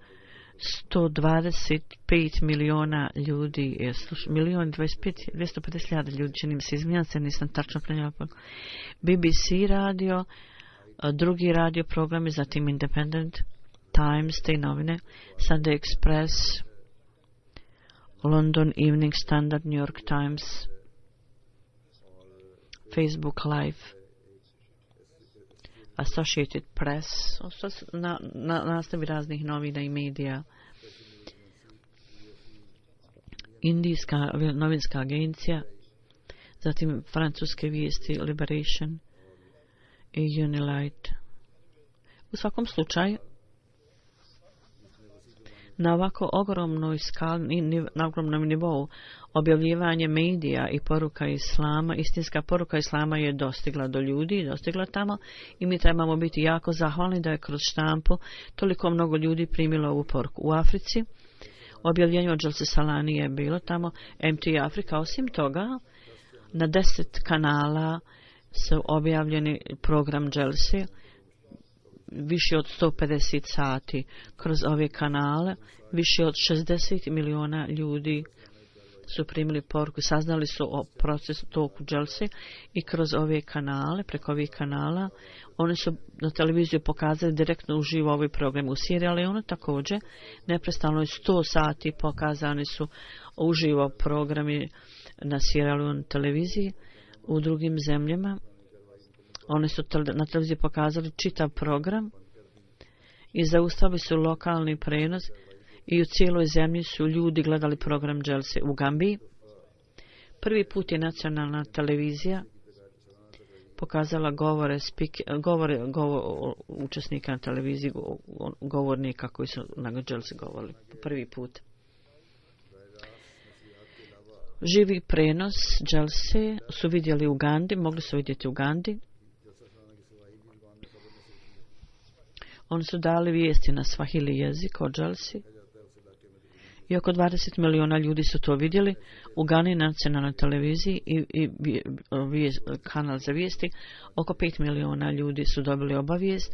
125 miliona ljudi je slušalo. 250.000 ljudi, čini mi se, izmijenjam se, nisam tačno prenijela. BBC radio, drugi radio programi, zatim Independent, Times, te novine, Sunday Express, London Evening Standard, New York Times, Facebook Live, Associated Press, nastavi raznih novina i medija, Indijska novinska agencija, zatim francuske vijesti Liberation i Unilight. U svakom slučaju, na ovako ogromnoj skali, na ogromnom nivou objavljivanje medija i poruka Islama, istinska poruka Islama je dostigla do ljudi, dostigla tamo i mi trebamo biti jako zahvalni da je kroz štampu toliko mnogo ljudi primilo ovu poruku. U Africi objavljenje od Dželse Salani je bilo tamo, MT Afrika. Osim toga, na 10 kanala su objavljeni program Dželse, više od 150 sati kroz ove kanale, više od 60 miliona ljudi su primili poruku, saznali su o procesu toku Dželse i kroz ove kanale, preko ovih kanala, oni su na televiziju pokazali direktno uživo ovaj program. U Sierra Leone također, neprestano je 100 sati pokazani su uživo programi na Sierra Leone televiziji. U drugim zemljama oni su na televiziji pokazali čitav program i zaustavili su lokalni prenos i u cijeloj zemlji su ljudi gledali program Dželse. U Gambiji prvi put je nacionalna televizija pokazala govore učesnika na televiziji, govornika koji su na Dželse govorili prvi put. Živi prenos Dželse su vidjeli u Gandi, mogli su vidjeti u Gandi. Oni su dali vijesti na Swahili jezik o Dželsi i oko 20 miliona ljudi su to vidjeli. U Gani nacionalnoj televiziji i kanal za vijesti oko 5 miliona ljudi su dobili obavijest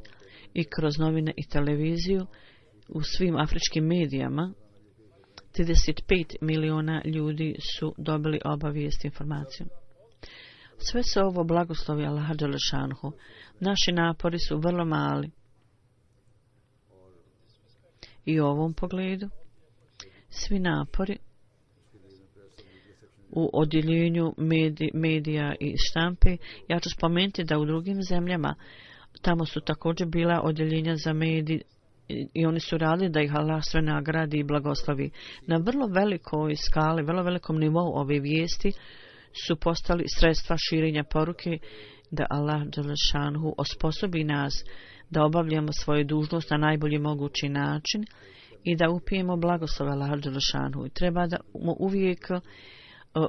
i kroz novine i televiziju u svim afričkim medijama 35 miliona ljudi su dobili obavijest informaciju. Sve se ovo blagoslovi Allaha Đelešanhu. Naši napori su vrlo mali. I u ovom pogledu svi napori u odjeljenju medija i štampe, ja ću spomenuti da u drugim zemljama tamo su također bila odjeljenja za medij i oni su radili da ih Allah sve nagradi i blagoslovi. Na vrlo velikoj skali, vrlo velikom nivou ove vijesti su postali sredstva širenja poruke da Allah dželešanu osposobi nas da obavljamo svoju dužnost na najbolji mogući način i da upijemo blagoslov Allah dželešanu. I treba da mu uvijek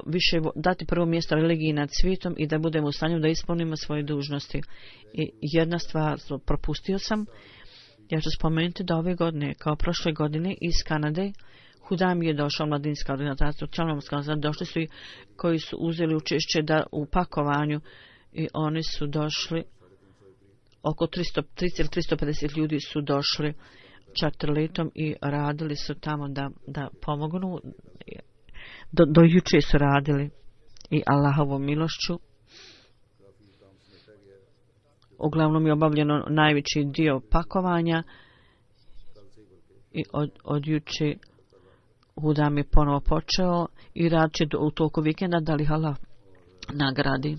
više dati prvo mjesto religiji nad svijetom i da budemo u stanju da ispunimo svoje dužnosti. I jedna stvar propustio sam, ja ću spomenuti da ove godine, kao prošle godine iz Kanade, Hudam je došao, mladinska organizacija, došli su i koji su uzeli učešće u pakovanju i oni su došli, oko 350 ljudi su došli čarterletom i radili su tamo da pomognu. Do juče su radili i Allahovom milošću. Uglavnom je obavljeno najveći dio pakovanja i od juče Hudam je ponovo počeo i rad će u toku vikenda da li Allah nagradi.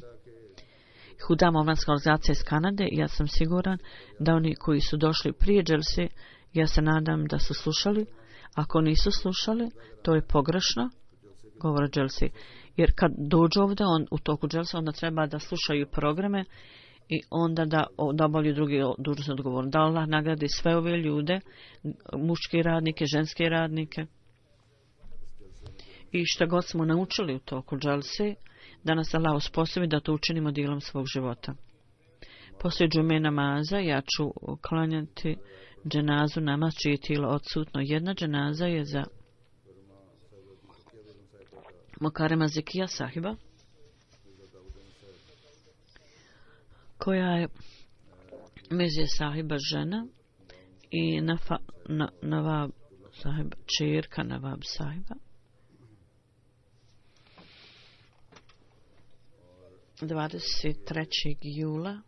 Hudam omladinska organizacija iz Kanade, ja sam siguran da oni koji su došli prije dželse, ja se nadam da su slušali. Ako nisu slušali, to je pogrešno, govore dželse. Jer kad dođu ovdje u toku dželse, onda treba da slušaju programe i onda da obavljaju drugi dužnosni odgovor. Da Allah nagradi sve ove ljude, muške radnike, ženske radnike. I što god smo naučili u toku dželse, da nas Allah osposobi da to učinimo dijelom svog života. Poslije džume namaza ja ću klanjati dženazu, namaz čije tijelo odsutno. Jedna dženaza je za Mokarema Zekija sahiba, koja je Mezije sahiba žena i Navab sahiba, čerka Navab sahiba. 23. jula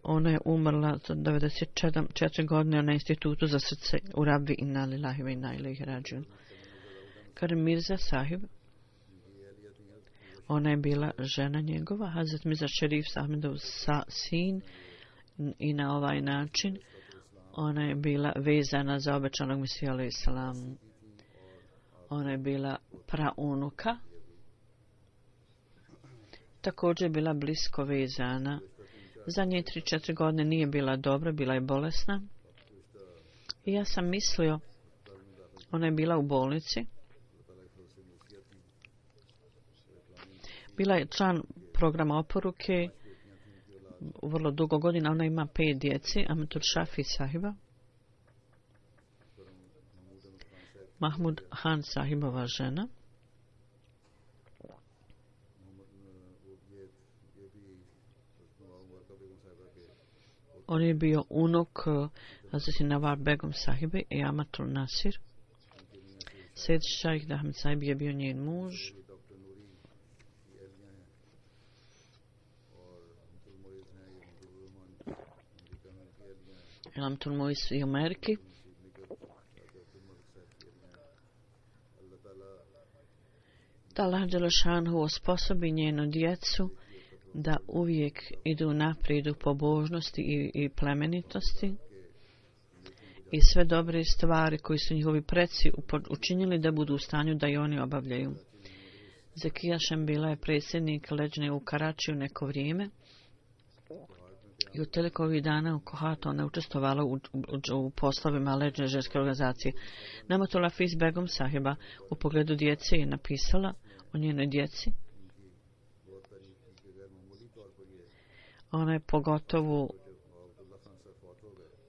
ona je umrla za 94 godine na institutu za srce u Rabvi inna lillahi wa inna ilaihi rađun. Karim Mirza sahib, ona je bila žena njegova, Hazrat Mirza Šerif Ahmedov sin, i na ovaj način ona je bila vezana za obećanog Mesiju alejhi selam. Ona je bila praunuka, također je bila blisko vezana. Zadnje 3-4 godine nije bila dobra, bila je bolesna. I ja sam mislio, ona je bila u bolnici. Bila je član programa oporuke vrlo dugo godina. Ona ima 5 djeci. Amatul Šafi sahiba, Mahmud Han sahibova žena, on je bio unuk Hazreti Nawab Begum sahibe i Amatul Nasir. Sejed Šajh Ahmed sahib je bio njen muž. Amatul Mois i Ameriki. Da Allah dželešanu osposobi njenu djecu da uvijek idu naprijed u pobožnosti i plemenitosti i sve dobre stvari koji su njihovi preci učinili da budu u stanju da i oni obavljaju. Zekija Šembila je predsjednik leđne u Karačiju neko vrijeme i u toliko ovih dana u Kohatu ona učestvovala u poslovima leđne ženske organizacije. Namatul Hafiz Begum sahiba u pogledu djece je napisala o njenoj djeci. Ona je pogotovo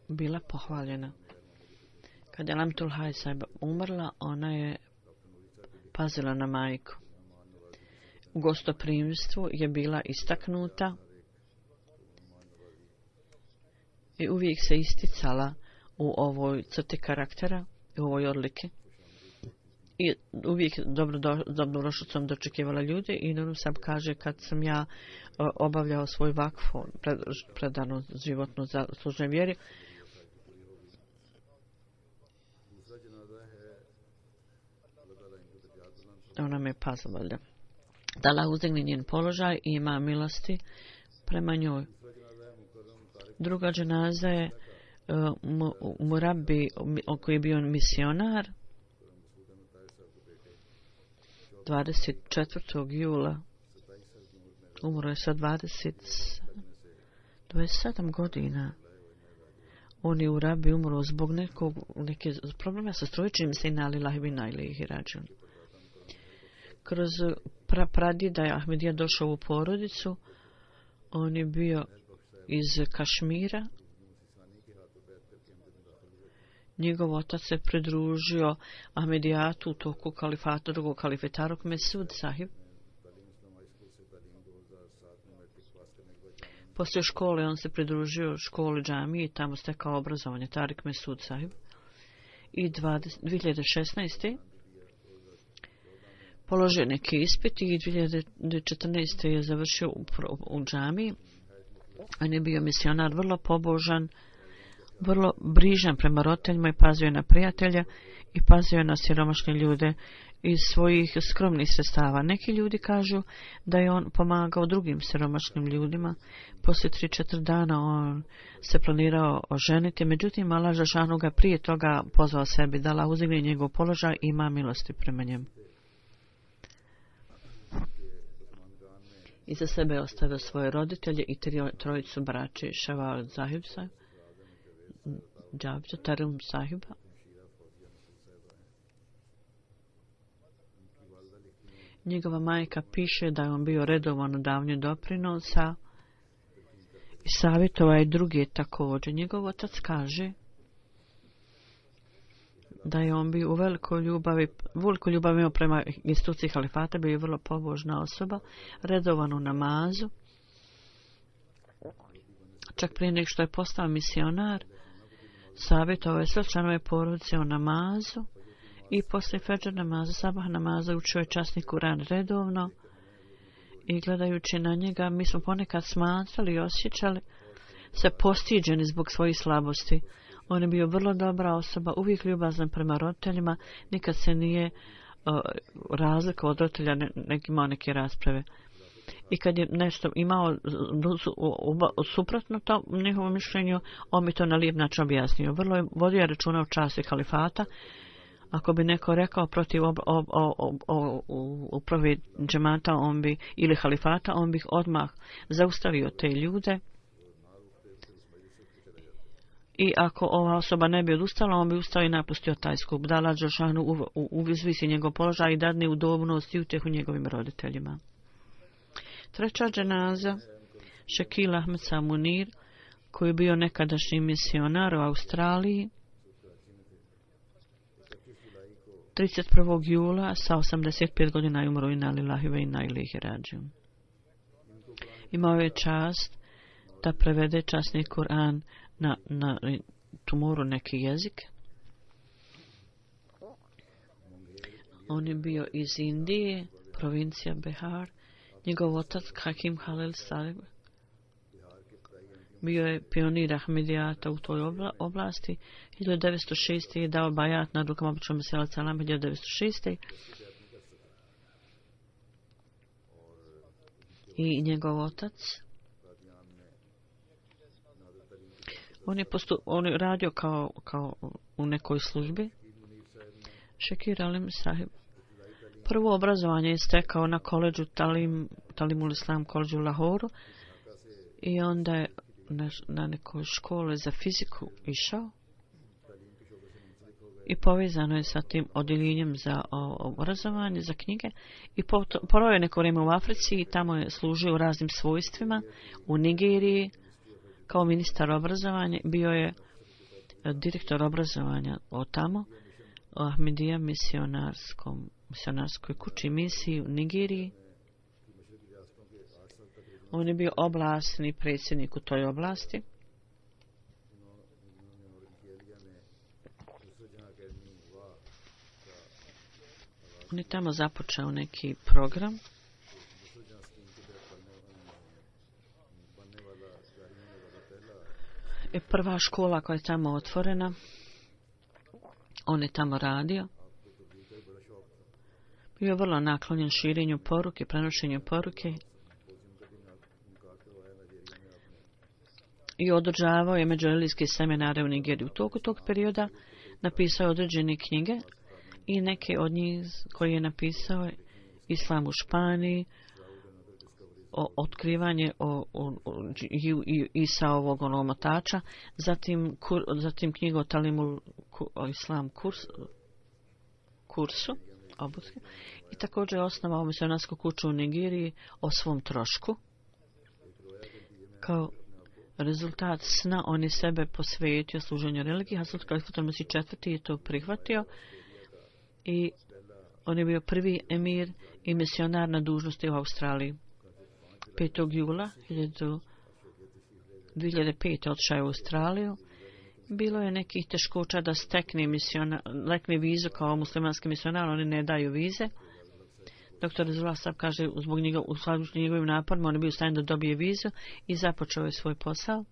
bila pohvaljena. Kad je Lamtul Haj sahiba umrla, ona je pazila na majku. U gostoprimstvu je bila istaknuta i uvijek se isticala u ovoj crti karaktera i u ovoj odlike. I uvijek dobrodošlicom dočekivala ljude i Nuru Sab kaže kad sam ja obavljao svoj vakfu predanu životnu za služnoj vjeri, ona me pazila. Da Allah uzdigne njen položaj i ima milosti prema njoj. Druga dženaza je Murabi, koji je bio misionar, 24. jula. Umro je sa 27 godina. On je u Rabi umro zbog neke problema sa strojičnim sina lillahi wa inna ilaihi rađun. Kroz pradjeda je Ahmedija došao u porodicu. On je bio iz Kašmira. Njegov otac se pridružio Ahmedijatu u toku kalifata, drugog kalifeta Mesud Sahib. Poslije škole on se pridružio školi džamije i tamo stekao obrazovanje Tarik Mesud Sahib. I 2016. položio neki ispit i 2014. je završio u džamiji. On je bio misionar, vrlo pobožan, vrlo brižan prema roditeljima i pazio na prijatelja i pazio na siromašne ljude iz svojih skromnih sredstava. Neki ljudi kažu da je on pomagao drugim siromašnim ljudima. Poslije 3-4 dana on se planirao oženiti, međutim Allah dželešanu ga prije toga pozvao sebi da Allah uzdigne njegov položaj i ima milosti prema njemu. Iza sebe je ostavio svoje roditelje i trojicu braće Šaval Zahib Sahib, Džabđa Tarim Sahiba. Njegova majka piše da je on bio redovan u davanju doprinosa i savjetova i drugi također. Njegov otac kaže da je on bio u velikoj ljubavi prema instituciji halifata, bio je vrlo pobožna osoba, redovan u namazu. Čak prije nego što je postao misionar, savjetovao je sve članove porodice o namazu i poslije fedžer namaza, sabah namaza učio je časni Kuran redovno i gledajući na njega mi smo ponekad smatrali i osjećali se postiđeni zbog svojih slabosti. On je bio vrlo dobra osoba, uvijek ljubazan prema roditeljima, nikad se nije razlikovao od roditelja, imao neke rasprave. I kad je nešto imao suprotno to njihovom mišljenju, on mi to na lijep način objasnio. Vrlo je vodio računa o časti halifata. Ako bi neko rekao protiv uprave džemata ili halifata, on bi odmah zaustavio te ljude. I ako ova osoba ne bi odustala, on bi ustao i napustio taj skup. Da Allah dželešanu uzvisi njegov položaj i dadne udobnost i utjehu njegovim roditeljima. Treća dženaza, Šekil Ahmed Samunir, koji je bio nekadašnji misionar u Australiji, 31. jula sa 85 godina je umro inna lillahi wa inna ilaihi rađiun. Imao je čast da prevede časni Kur'an na tumoru neki jezik. On je bio iz Indije, provincija Bihar. Njegov otac Hakim Halil Salib bio je pionir Ahmedijata u toj oblasti. 1906. je dao bajat na rukama Običnog Mesela Salam 1906. I njegov otac on je radio kao u nekoj službi. Šekir Alim Sahib. Prvo obrazovanje je stekao na koledžu Talimul Islam koledžu u Lahoru i onda je na nekoj škole za fiziku išao i povezano je sa tim odjeljenjem za obrazovanje, za knjige i proveo je neko vrijeme u Africi i tamo je služio u raznim svojstvima. U Nigeriji kao ministar obrazovanja bio je direktor obrazovanja od tamo u Ahmedija misionarskoj kući misiji u Nigeriji. On je bio oblastni predsjednik u toj oblasti. On je tamo započeo neki program. I prva škola koja je tamo otvorena, on je tamo radio. Bio je vrlo naklonjen širenju poruke, prenošenju poruke. i održavao je međureligijske seminare u Nigeriji. U toku tog perioda napisao je određene knjige i neke od njih koje je napisao Islam u Španiji, otkrivanje Isaovog omotača, zatim knjigu o Talimul Islam kursu obuske, i također je osnovao misionarsku kuću u Nigeriji o svom trošku. Kao rezultat sna on je sebe posvetio služenju religiji. Hazrat Kalifat al-Masih IV je to prihvatio i on je bio prvi emir i misionar na dužnosti u Australiji. 5. jula 2005. otišao je u Australiju. Bilo je nekih teškoća da stekne vizu kao muslimanski misionar, oni ne daju vize. Dr. Rezullah Sab kaže, u skladu s njegovim naporima, on je bio u stanju da dobije vizu i započeo je svoj posao.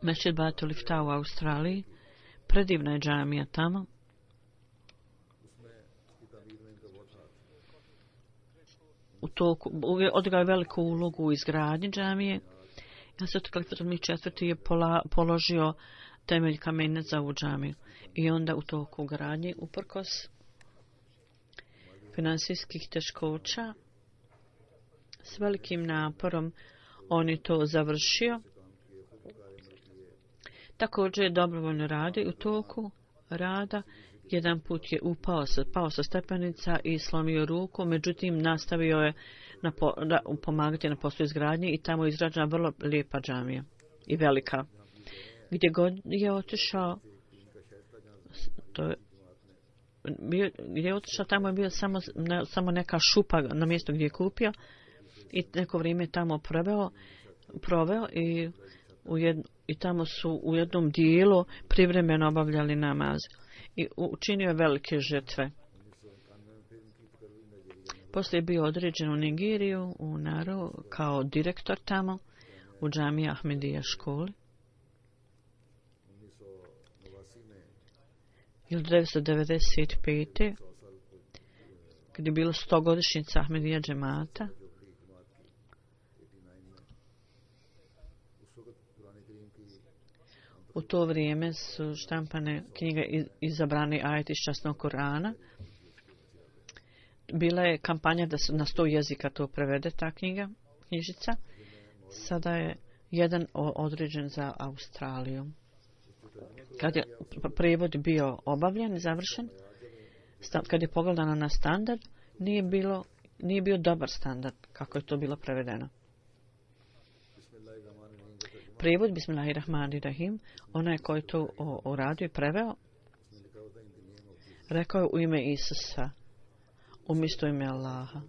Mešćid Batul Iftah u Australiji, predivna je džamija tamo. Odigrao je veliku ulogu u izgradnji džamije. Hazrat Kalifat al-Masih IV je položio temelj kamenac za ovu džamiju. I onda u toku gradnje, uprkos finansijskih teškoća, s velikim naporom on je to završio. Također je dobrovoljno radio. U toku rada jedan put je pao sa stepenica i slomio ruku, međutim nastavio je pomagati na poslu izgradnje i tamo je izgrađena vrlo lijepa džamija i velika. Gdje god je otišao, tamo je bio samo neka šupa na mjestu gdje je kupio i neko vrijeme tamo proveo i tamo su u jednom dijelu privremeno obavljali namaz i učinio je velike žrtve. Poslije je bio određen u Nigeriju, u Naru, kao direktor tamo, u džamiji Ahmedija školi. 1995. kad je bilo 100-godišnjica Ahmedija džemata, u to vrijeme su štampane knjige Izabrani ajeti iz časnog Korana. Bila je kampanja da se na 100 jezika to prevede, ta knjižica. Sada je jedan određen za Australiju. Kad je prevod bio obavljen i završen, kad je pogledano na standard, nije bio dobar standard kako je to bilo prevedeno. Prevod Bismillahirrahmanirrahim, onaj koji to uradio i preveo, rekao je u ime Isusa, umjesto ime Allaha.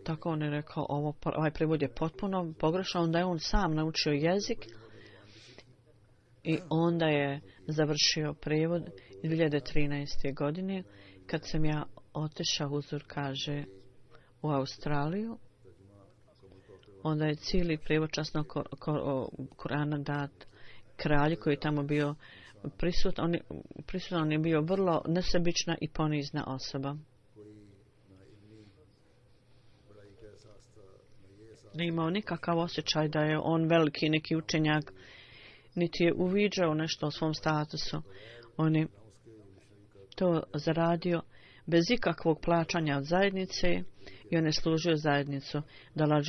Tako on je rekao, ovaj prevod je potpuno pogrešan, onda je on sam naučio jezik i onda je završio prevod 2013. godine, kad sam ja otišao, Huzur kaže, u Australiju. Onda je cijeli prevod časnog Korana dat kralju koji je tamo bio prisutan. On je bio vrlo nesebična i ponizna osoba. Ne imao nikakav osjećaj da je on veliki neki učenjak, niti je uviđao nešto o svom statusu. On je to zaradio bez ikakvog plaćanja od zajednice i on je služio zajednicu, da Allah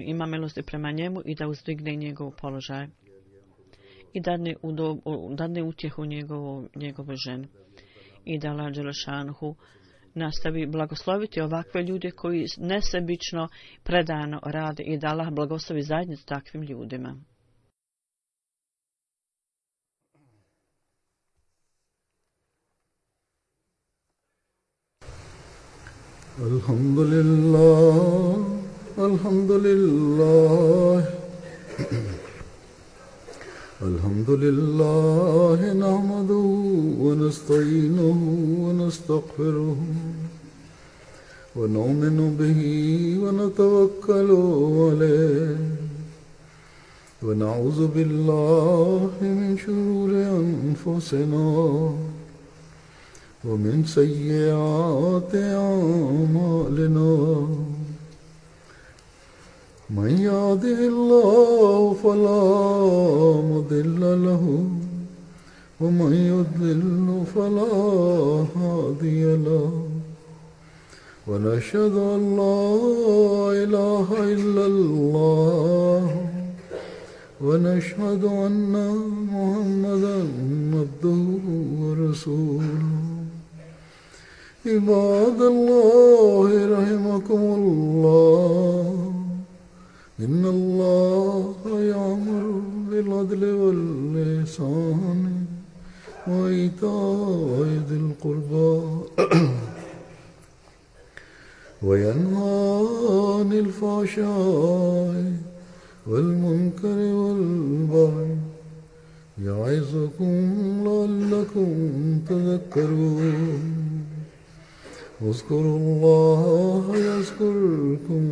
ima milosti prema njemu i da uzdigne njegov položaj i dadne utjehu njegovoj ženi i da Allah Đelešanhu nastavi blagosloviti ovakve ljude koji nesebično predano rade i da Allah blagoslovi zajednicu takvim ljudima. Alhamdulillah, alhamdulillah, alhamdulillah, nahmaduhu wa nasta'inuhu wa nastaghfiruhu wa nu'minu bihi wa natawakkalu alayhi wa na'udhu billahi min shururi anfusina ومن سيئات أعمالنا من يهده الله فلا مضل له ومن يضلل فلا هادي له ونشهد أن لا إله إلا الله ونشهد أن محمدا عبده ورسوله عباد الله رحمكم الله إن الله يأمر بالعدل والإحسان وإيتاء ذي القربى وينهى عن الفحشاء والمنكر والبغي يعظكم لعلكم تذكرون اذكروا الله يذكركم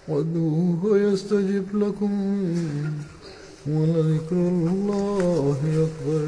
وادعوه يستجب لكم ولذكر الله أكبر